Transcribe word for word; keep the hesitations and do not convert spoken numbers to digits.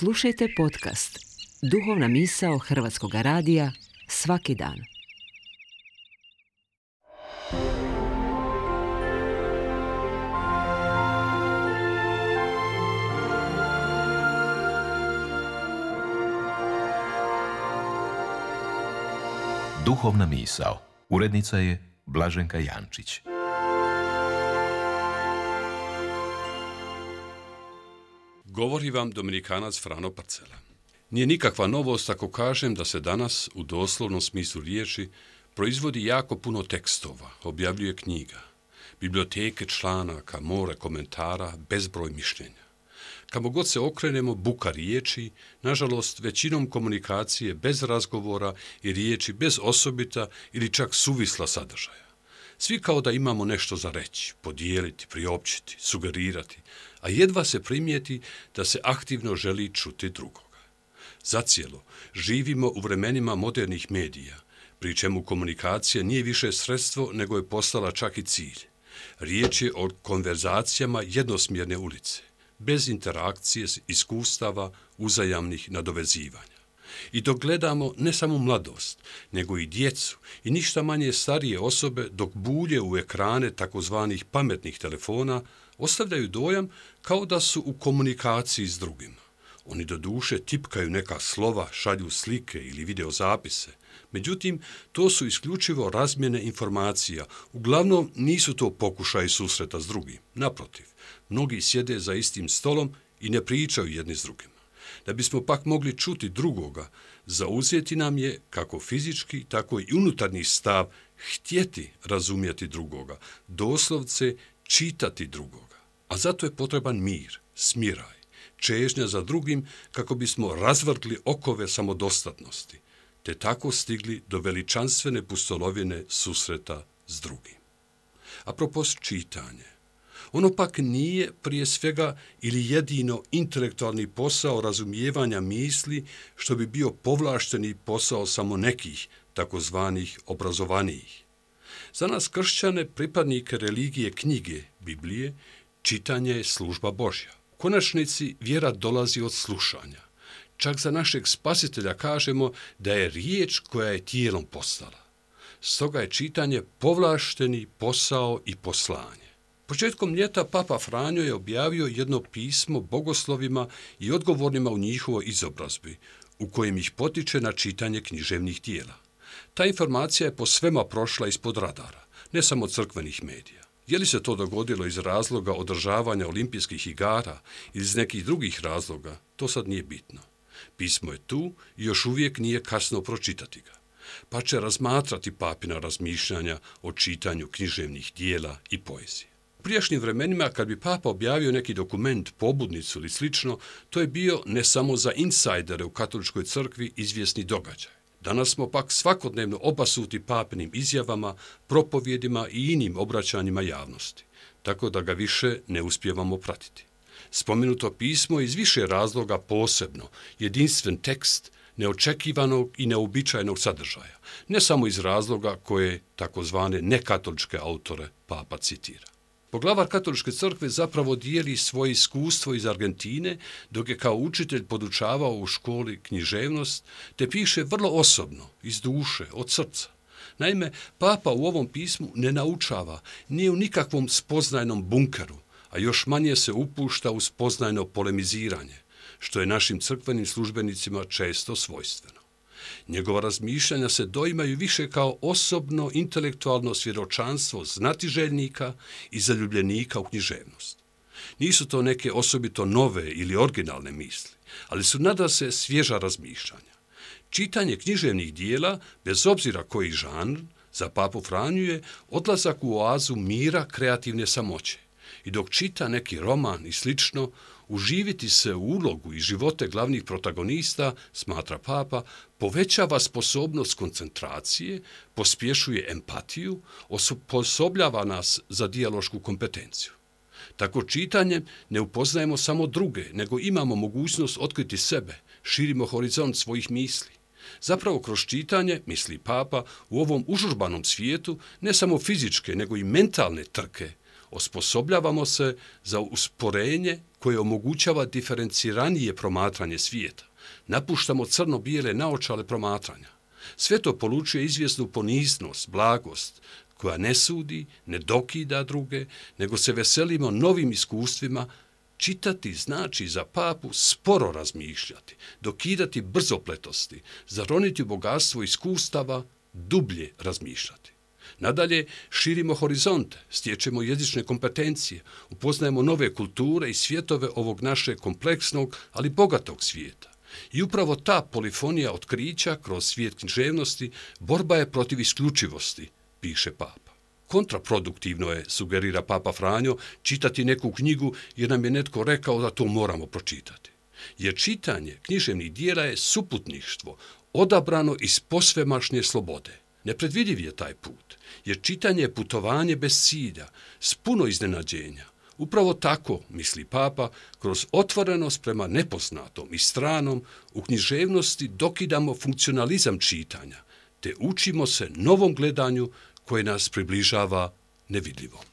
Slušajte podcast Duhovna misao Hrvatskog radija svaki dan. Duhovna misao. Urednica je Blaženka Jančić. Govori vam Dominikanac Frano Parcela. Nije nikakva novost ako kažem da se danas, u doslovnom smislu riječi, proizvodi jako puno tekstova, objavljuje knjiga, biblioteke članaka, more komentara, bezbroj mišljenja. Kamo god se okrenemo, buka riječi, nažalost većinom komunikacije bez razgovora i riječi bez osobita ili čak suvisla sadržaja. Svi kao da imamo nešto za reći, podijeliti, priopćiti, sugerirati, a jedva se primijeti da se aktivno želi čuti drugoga. Zacijelo, živimo u vremenima modernih medija, pri čemu komunikacija nije više sredstvo nego je postala čak i cilj. Riječ je o konverzacijama jednosmjerne ulice, bez interakcije, iskustava, uzajamnih nadovezivanja. I dok gledamo ne samo mladost, nego i djecu i ništa manje starije osobe dok bulje u ekrane takozvanih pametnih telefona, ostavljaju dojam kao da su u komunikaciji s drugima. Oni doduše tipkaju neka slova, šalju slike ili videozapise. Međutim, to su isključivo razmjene informacija. Uglavnom nisu to pokušaji susreta s drugim. Naprotiv, mnogi sjede za istim stolom i ne pričaju jedni s drugima. Da bismo pak mogli čuti drugoga, zauzeti nam je kako fizički, tako i unutarnji stav htjeti razumjeti drugoga, doslovce čitati drugoga. A zato je potreban mir, smiraj, čežnja za drugim kako bismo razvrgli okove samodostatnosti, te tako stigli do veličanstvene pustolovine susreta s drugim. Apropos čitanje, ono pak nije prije svega ili jedino intelektualni posao razumijevanja misli što bi bio povlašteni posao samo nekih, takozvanih obrazovanijih. Za nas kršćane, pripadnike religije knjige, Biblije, čitanje je služba Božja. U konačnici vjera dolazi od slušanja. Čak za našeg spasitelja kažemo da je riječ koja je tijelom postala. Stoga je čitanje povlašteni posao i poslanje. Početkom ljeta Papa Franjo je objavio jedno pismo bogoslovima i odgovornima u njihovoj izobrazbi, u kojem ih potiče na čitanje književnih dijela. Ta informacija je po svema prošla ispod radara, ne samo crkvenih medija. Je li se to dogodilo iz razloga održavanja olimpijskih igara ili iz nekih drugih razloga, to sad nije bitno. Pismo je tu i još uvijek nije kasno pročitati ga, pa će razmatrati papina razmišljanja o čitanju književnih dijela i poezije. U prijašnjim vremenima, kad bi Papa objavio neki dokument, pobudnicu ili slično, to je bio ne samo za insajdere u katoličkoj crkvi izvjesni događaj. Danas smo pak svakodnevno obasuti papinim izjavama, propovjedima i inim obraćanjima javnosti, tako da ga više ne uspijevamo pratiti. Spomenuto pismo iz više razloga posebno, jedinstven tekst, neočekivanog i neobičajnog sadržaja, ne samo iz razloga koje takozvane nekatoličke autore Papa citira. Poglavar katoličke crkve zapravo dijeli svoje iskustvo iz Argentine, dok je kao učitelj podučavao u školi književnost, te piše vrlo osobno, iz duše, od srca. Naime, Papa u ovom pismu ne naučava, nije u nikakvom spoznajnom bunkeru, a još manje se upušta u spoznajno polemiziranje, što je našim crkvenim službenicima često svojstveno. Njegova razmišljanja se doimaju više kao osobno intelektualno svjedočanstvo znatiželjnika i zaljubljenika u književnost. Nisu to neke osobito nove ili originalne misli, ali su nadasve svježa razmišljanja. Čitanje književnih dijela, bez obzira koji žanr, za Papu Franju je odlazak u oazu mira kreativne samoće. I dok čita neki roman i slično, uživiti se u ulogu i živote glavnih protagonista, smatra Papa, povećava sposobnost koncentracije, pospješuje empatiju, osposobljava nas za dijalošku kompetenciju. Tako čitanjem ne upoznajemo samo druge, nego imamo mogućnost otkriti sebe, širimo horizont svojih misli. Zapravo kroz čitanje, misli Papa, u ovom užurbanom svijetu ne samo fizičke, nego i mentalne trke Osposobljavamo se za usporenje koje omogućava diferenciranije promatranje svijeta. Napuštamo crno-bijele naočale promatranja. Sve to polučuje izvjesnu poniznost, blagost, koja ne sudi, ne dokida druge, nego se veselimo novim iskustvima. Čitati znači za papu sporo razmišljati, dokidati brzopletosti, zaroniti u bogatstvo iskustava, dublje razmišljati. Nadalje, širimo horizonte, stječemo jezične kompetencije, upoznajemo nove kulture i svjetove ovog našeg kompleksnog, ali bogatog svijeta. I upravo ta polifonija otkrića kroz svijet književnosti borba je protiv isključivosti, piše papa. Kontraproduktivno je, sugerira papa Franjo, čitati neku knjigu jer nam je netko rekao da to moramo pročitati. Jer čitanje književnih dijela je suputništvo, odabrano iz posvemašnje slobode. Nepredvidiv je taj put, jer čitanje je putovanje bez cilja, s puno iznenađenja. Upravo tako, misli papa, kroz otvorenost prema nepoznatom i stranom u književnosti dokidamo funkcionalizam čitanja, te učimo se novom gledanju koje nas približava nevidljivom.